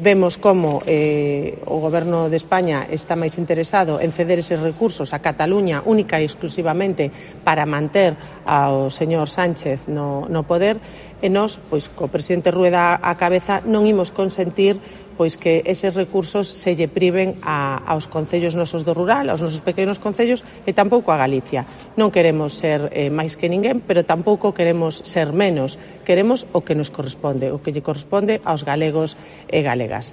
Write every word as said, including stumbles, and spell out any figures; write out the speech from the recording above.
Vemos como eh, o Goberno de España está máis interesado en ceder eses recursos a Cataluña única e exclusivamente para manter ao señor Sánchez no, no poder e nós, pois, co presidente Rueda á cabeza, non imos consentir pois que eses recursos se lle priven a, aos concellos nosos do rural, aos nosos pequenos concellos e tampouco a Galicia. Non queremos ser eh, máis que ninguén, pero tampouco queremos ser menos. Queremos o que nos corresponde, o que lle corresponde aos galegos e galegas.